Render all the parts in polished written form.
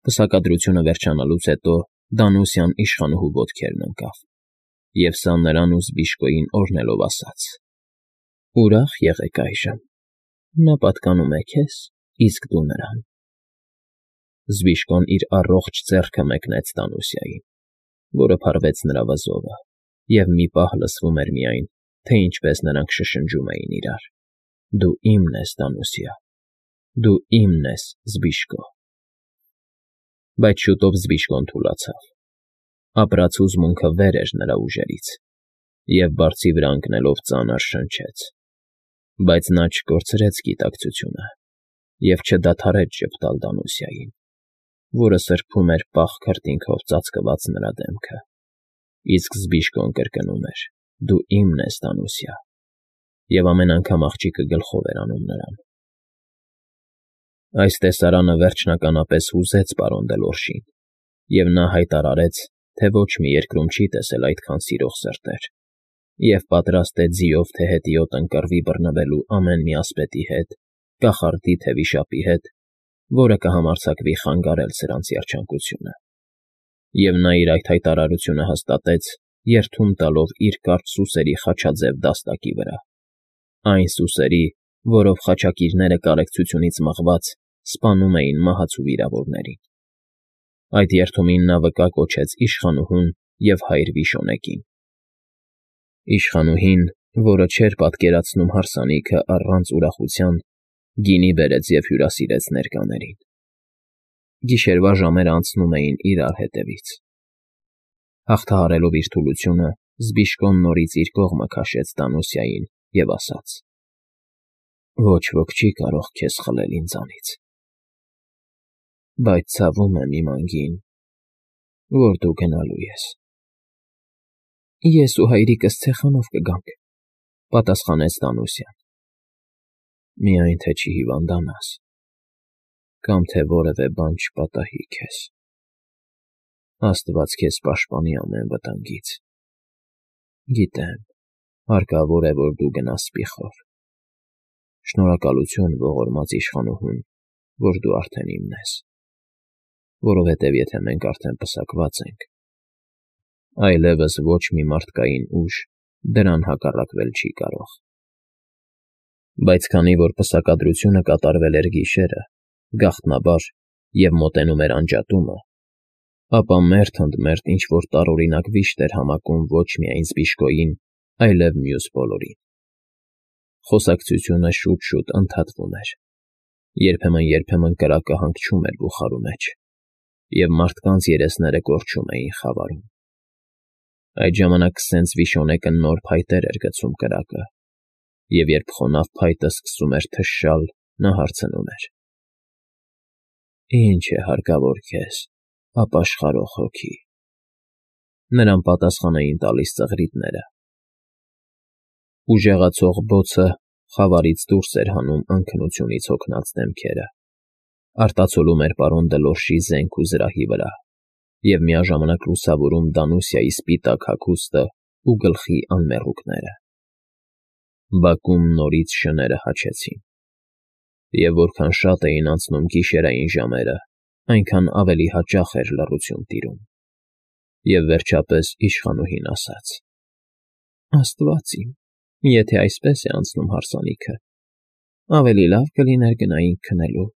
Պսակադրությունը վերջանալուց հետո Դանուսյան իշխանուհու ոտքերն ընկավ, և սա նրան ու Զբիշկոյին օրհնելով ասաց. «Ուրախ եղեք այժմ, նա պատկանում է քեզ, իսկ դու նրան»։ Զբիշկոն իր առողջ ձեռքը մեկնեց Դանուսիային, որը փարվեց նրա վզովը, և մի պահ լսվում էր միայն, թե ինչպես նրանք շշնջում էին իրար. «Դու իմն ես, Դանուսիա, դու իմն ես, Զբիշկո»։ Բայց շուտով Զբիշկոն թուլացավ, ապրած հուզմունքը վեր էր նրա ուժերից, և բարձի վրա ընկնելով ծանր շնչեց, բայց նա չկորցրեց գիտակցությունը և չդադարեց ժպտալ Դանուսիային, որը սրբում էր պաղ քրտինքով ծածկված նրա դեմքը, իսկ Զբիշկոն կրկնում էր. «Դու իմն ես, Դանուսիա», և ամեն անգամ աղջիկը գլխով էր անում նրան։ Այս տեսարանը վերջնականապես հուզեց պարոն Դելորժին, և նա հայտարարեց, թե ոչ մի երկրում չի տեսել այդքան սիրող սրտեր, և պատրաստ է ձիով թե հետիոտ ընկռվի բռնվելու ամեն մի ասպետի հետ, կախարդի թե վիշապի հետ, որը կհամարձակվի խանգարել սրանց երջանկությունը։ Եվ նա իր այդ հայտարարությունը հաստատեց, երդում տալով իր կարճ սուսերի խաչաձև դաստակի վրա, այն սուսերի, որով խաչակիրները կարեկցությունից մղված սպանում էին մահացու վիրավորներին։ Այդ երդումին նա վկա կոչեց իշխանուհուն և հայր Վիշոնեկին։ Իշխանուհին, որը չէր պատկերացնում հարսանիքը առանց ուրախության, գինի բերեց և հյուրասիրեց ներկաներին։ Գիշերվա ժամերը անցնում էին իրար հետևից։ Հաղթահարելով իր թուլությունը, Զբիշկոն նորից իր կողմը քաշեց Դանուսիային և ասաց. «Ոչ ոք չի կարող քեզ խլել ինձանից, բայց ցավում եմ իմ անգին, որ դու գնալու ես»։ «Ես ու հայրիկս ցեխանով կգանք», ֊ պատասխանեց Դանուսյան։ «Միայն թե չհիվանդանաս կամ թե որևէ բան չպատահի քեզ։ Աստված քեզ պաշտպանի ամեն վտանգից։ Գիտեմ, հարկավոր է, որ դու գնաս սպիխով։ Շնորհակալություն ողորմած իշխանուհուն, որ դու արդեն իմն ես, որովհետև եթե մենք արդեն պսակված ենք, այլևս ոչ մի մարդկային ուժ դրան հակառակվել չի կարող»։ Բայց քանի որ պսակադրությունը կատարվել էր գիշերը, գաղտնաբար, և մոտենում էր անջատումը, ապա մերթ ընդ մերթ ինչ֊որ տարօրինակ վիշտ էր համակում ոչ միայն Զբիշկոյին, այլև մյուս բոլորին։ Խոսակցությունը շուտ֊շուտ ընդհատվում էր, երբեմն կրակը հանգչում էր բուխարու մեջ, և մարդկանց երեսները կորչում էին խավարում։ Այդ ժամանակ սենց Վիշոնեկը նոր փայտեր էր գցում կրակը, և երբ խոնավ փայտը սկսում էր թշալ, նա հարցնում էր. «Ի՞նչ է հարկավոր քեզ, ապաշխարող հոգի»։ Նրան պատասխան էին տալիս ծղրիդները։ Ուժեղացող բոցը խավարից դուրս էր հանում անքնությունից հոգնած դեմքերը, արտացոլում էր պարոն Դելորժի զենք ու զրահի վրա և միաժամանակ լուսավորում Դանուսիայի սպիտակ հագուստը ու գլխի անմեռուկները։ Բակում նորից շները հաչեցին, և որքան շատ էին անցնում գիշերային ժամերը, այնքան ավելի հաճախ էր լռություն տիրում, և վերջապես իշխանուհին ասաց. «Աստված իմ, եթե այսպես է անցնում հարսանիքը, ավելի լավ կլիներ գնայինք քնելու,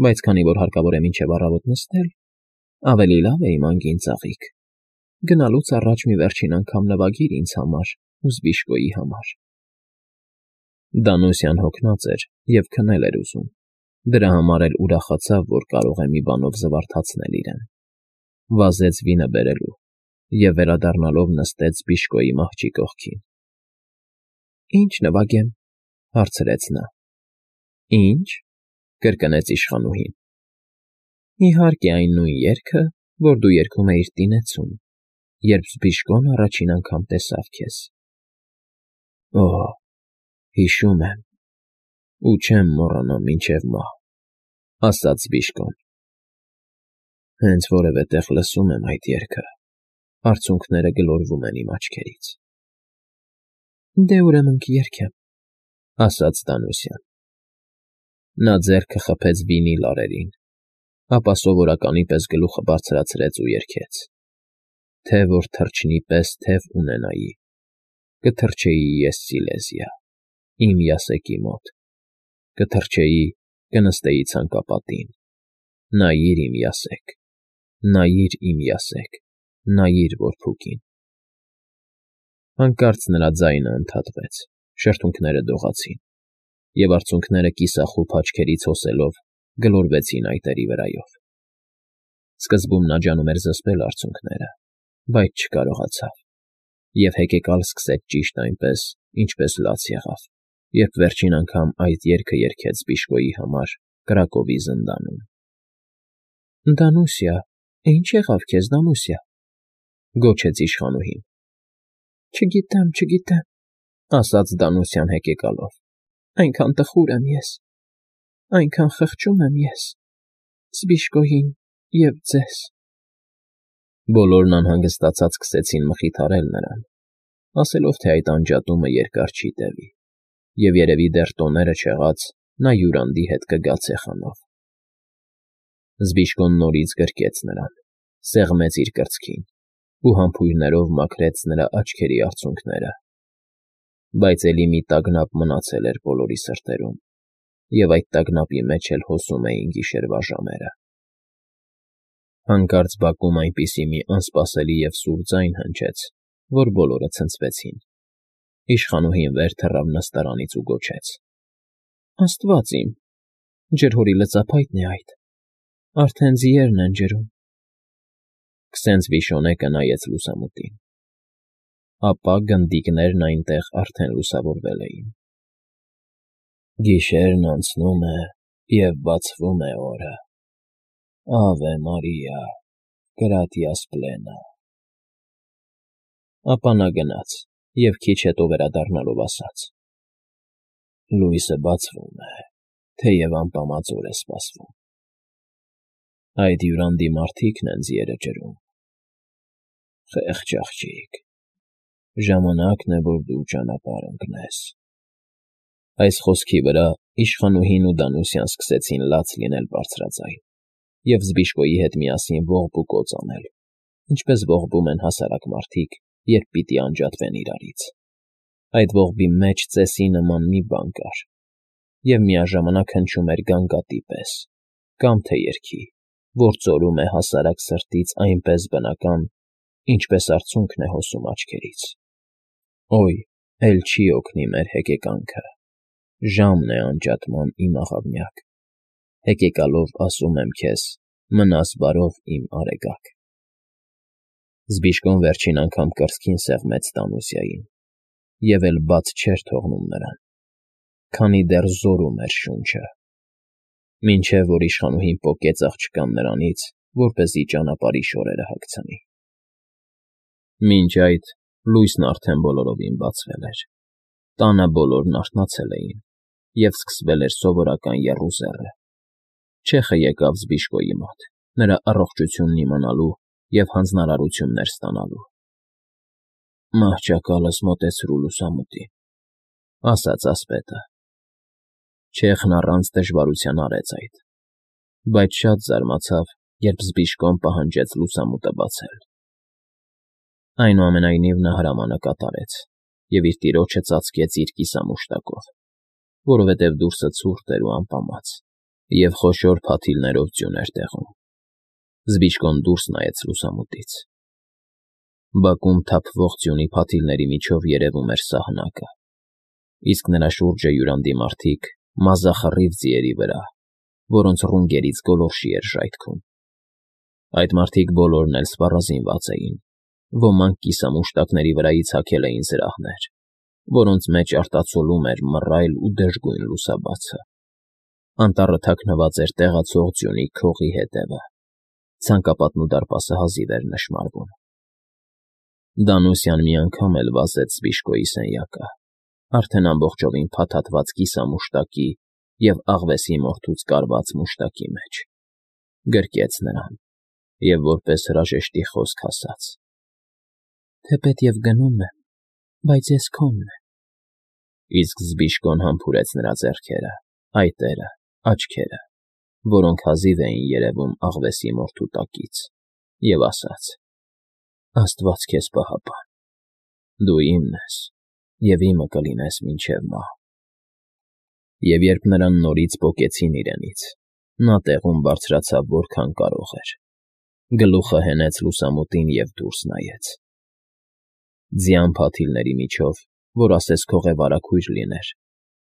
բայց քանի որ հարկավոր է մինչև առավոտ նստել, ավելի լավ է իմ անգին ծաղիկ, գնալուց առաջ մի վերջին անգամ նվագիր ինձ համար ու Զբիշկոյի համար»։ Դանուսյան հոգնած էր և քնել էր ուզում, դրա համար էլ ուրախացավ, որ կարող է մի բանով զվարթացնել իրեն, վազեց վինը բերելու և վերադառնալով նստեց Զբիշկոյի մահճի կողքին։ «Ի՞նչ նվագեմ», ֊ հարցրեց նա։ «Ի՞նչ», ֊ կրկնեց իշխանուհին։ «Իհարկե այն նույն երգը, որ դու երգում էիր տինեցում, երբ Զբիշկոն առաջին անգամ տեսավ քեզ»։ «Օ՜, հիշում եմ ու չեմ մոռանա մինչև մահ», ֊ ասաց Զբիշկոն։ «Հենց որևէ տեղ լսում եմ այդ երգը, արցունքները գլորվում են իմ աչքերից»։ «Դե ուրեմն կերգեմ», ֊ ասաց Դանուսյան։ Նա ձեռքը խփեց վինի լարերին ապա սովորականի պես գլուխը բարձրացրեց ու երգեց. Թե որ թռչնի պես թև ունենայի, կթռչեի ես Սիլեզիա, իմ Յասեկի մոտ, կթռչեի, կնստեի ցանկապատին, նայիր իմ Յասեք, նայիր իմ Յասեք, նայիր որփուկին։ Հանկարծ նրա ձայնը ընդհատվեց, շրթունքները դողացին, և արցունքները կիսախուփ աչքերից հոսելով գլորվեցին այտերի վրայով։ Սկզբում նա ջանում էր զսպել արցունքները, բայց չկարողացավ, և հեկեկալ սկսեց ճիշտ այնպես, ինչպես լաց եղավ, երբ վերջին անգամ այդ երգը երգեց Զբիշկոյի համար Կրակովի զնդանում։ Դանուսիա, ինչ եղավ քեզ, Դանուսիա, գոչեց իշխանուհին։ Չգիտեմ, ասաց Դանուսյան հեկեկալով, այնքան տխուր եմ ես, այնքան խղճում եմ ես, Զբիշկոյին և ձեզ։ Բոլորն անհանգստացած սկսեցին մխիթարել նրան, ասելով, թե այդ անջատումը երկար չի տևի, և երևի դեռ տոները չեղած նա յուրանդի հետ կգա ցեխանով։ Զբիշկոն նորից գրկեց նրան, սեղմեց իր կրծքին ու համբույրներով մաքրեց նրա աչքերի արցունքները, բայց էլի մի տագնապ մնացել էր բոլորի սրտերում, և այդ տագնապի մեջ էլ հոսում էին գիշերվա ժամերը։ Հանկարծ բակում այնպիսի մի անսպասելի և սուր ձայն հնչեց, որ բոլորը ցնցվեցին։ Իշխանուհին վեր թռավ նստարանից ու գոչեց. Աստված իմ, ջրհորի լծափայտն է այդ, արդեն ձիերն են ջրում։ Քսենց Վիշոնեկը նայեց լուսամուտին։ Ապա գնդիկներն այնտեղ արդեն լուսավորվել էին։ Գիշերն անցնում է և բացվում է օրը, Ավե Մարիա, Գրատիաս Պլենա։ Ապա նա գնաց և քիչ հետո վերադառնալով ասաց. Լույսը բացվում է, թեև անպամած օր է սպասվում։ Այդ յուրանդի մարդիկն են ձիերը ջրում։ Խեղճ աղջիկ, ժամանակն է, որ դու ճանապարհ ընկնես։ Այս խոսքի վրա իշխանուհին ու Դանուսյան սկսեցին լաց լինել բարձրաձայն և Զբիշկոյի հետ միասին ողբուկոծ անել, ինչպես ողբում են հասարակ մարդիկ, երբ պիտի անջատվեն իրարից։ Այդ ողբի մեջ ծեսի նման մի բան կար, և միաժամանակ հնչում էր գանգատի պես, կամ թե երգի, որ ծորում է հասարակ սրտից այնպես բնական, ինչպես արցունքն է հոսում աչքերից։ Օй, էլ չի օգնի մեր հեկեկանքը, ժամն է անջատման, իմ աղավնյակ, հեկեկալով ասում եմ քեզ, մնաս բարով, իմ արեգակ։ Զբիշկոն վերջին անգամ կրծքին սեղմեց Դանուսիային և էլ բաց չէր թողնում նրան, քանի դեռ զորում էր շունչը, մինչև որ իշխանուհին պոկեց աղջկան նրանից, որպեսզի ճանապարհի շորերը հագցնի։ Մինչ այդ լույսն արդեն բոլորովին բացվել էր, տանը բոլորն արթնացել էին, և սկսվել էր սովորական եռուզեռը։ Չեխը եկավ Զբիշկոյի մոտ, նրա առողջությունն իմանալու և հանձնարարություններ ստանալու։ Մահճակալս մոտեցրու լուսամուտին, ասաց ասպետը։ Չեխն առանց դժվարության արեց այդ, բայց շատ զարմացավ, երբ Զբիշկոն պահանջեց լուսամուտը բացել։ Այնուամենայնիվ նա հրամանը կատարեց և իր տիրոջը ծածկեց իր կիսամուշտակով, որովհետև դուրսը ցուրտ էր ու անպամած, և խոշոր փաթիլներով ձյուն էր տեղում։ Զբիշկոն դուրս նայեց լուսամուտից։ Բակում թափվող ձյունի փաթիլների միջով երևում էր սահնակը, իսկ նրա շուրջը յուրանդի մարդիկ մազախռիվ ձիերի վրա, որոնց ռունգերից գոլորշի էր ժայթքում։ Այդ մարդիկ բոլորն էլ սպառազինված էին, ոմանք կիսամուշտակների վրայից հագել էին զրահներ, որոնց մեջ արտացոլում էր մռայլ ու դժգույն լուսաբացը։ Անտառը թաքնված էր տեղացող ձյունի քողի հետևը, ցանկապատն ու դարպասը հազիվ էր նշմարվում։ Դանուսյան մի անգամ էլ վազեց Զբիշկոյի սենյակը, արդեն ամբողջովին փաթաթված կիսամուշտակի և աղվեսի մորթուց կարված մուշտակի մեջ, գրկեց նրան և որպես հրաժեշտի խոսք ասաց. Թեպետ և գնում եմ, բայց ես քոնն եմ։ Իսկ Զբիշկոն համբուրեց նրա ձեռքերը, այտերը, աչքերը որոնք հազիվ էին երևում աղվեսի մորթու տակից, և ասաց. «Աստված քեզ պահապան, դու իմն ես և իմը կլինես մինչև մահ»։ Եվ երբ նրան նորից պոկեցին իրենից, նա տեղում բարձրացավ որքան կարող էր, գլուխը հենեց լուսամուտին և դուրս նայեց։ Ձյան փաթիլների միջով, որ ասես քողևարաքույր լիներ,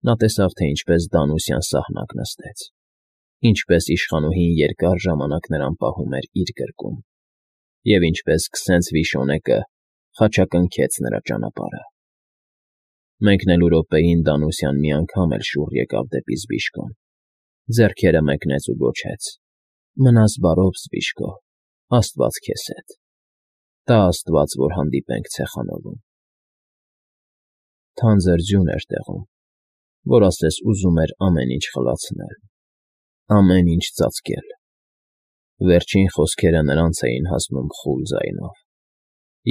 նա տեսավ, թե ինչպես Դանուսյան սահնակ նստեց, ինչպես իշխանուհին երկար ժամանակ նրան պահում էր իր գրկում, և ինչպես քսենց վիշոնեկը խաչակնքեց նրա ճանապարհը։ Մեկնելու րոպեին Դանուսյան մի անգամ էլ շուռ եկավ դեպի Զբիշկոն, ձեռքերը մեկնեց ու գոչեց. «Մնաս բարով, Զբիշկո, Աստված քեզ հետ, տա Աստված, որ հանդիպենք ցեխանովում»։ Թանձր ձյուն էր տեղում, որ ասես ուզում էր ամեն ինչ խլացնել, ամեն ինչ ծածկել։ Վերջին խոսքերը նրանց էին հասնում խուլ ձայնով,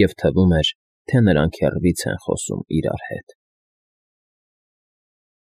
և թվում էր, թե նրանք հեռվից են խոսում իրար հետ։